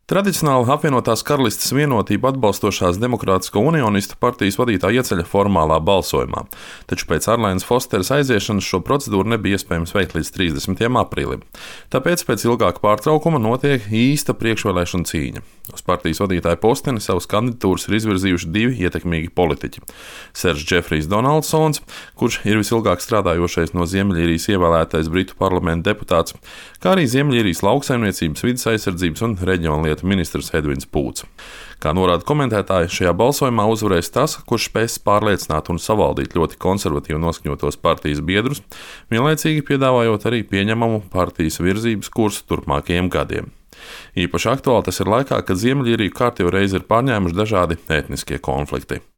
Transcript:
Tradicionāli apvienotās karalistes vienotību atbalstošās Demokrātisko unionistu partijas vadītāja ieceļ formālā balsojumā, taču pēc Arlainas Fosteras aiziešanas šo procedūru nebija iespējams veikt līdz 30. aprīlim. Tāpēc pēc ilgāka pārtraukuma notiek īsta priekšvēlēšana cīņa. Uz partijas vadītāja posteni savas kandidatūras ir izvirzījuši divi ietekmīgi politiķi - Seržs Džefrijs Donaldsons, kurš ir visilgāk strādājošais no Ziemeļīrijas ievēlētais Britu parlamenta deputāts, kā arī Ziemeļīrijas lauksaimniecības, vides aizsardzības un reģionlietu ministrs Edvins Pūts. Kā norāda komentētāji, šajā balsojumā uzvarēs tas, kurš spēs pārliecināt un savaldīt ļoti konservatīvi noskaņotos partijas biedrus, vienlaicīgi piedāvājot arī pieņemamu partijas virzības kursu turpmākajiem gadiem. Īpaši aktuāli tas ir laikā, kad Ziemeļīriju kārtējo reizi ir pārņēmuši dažādi etniskie konflikti.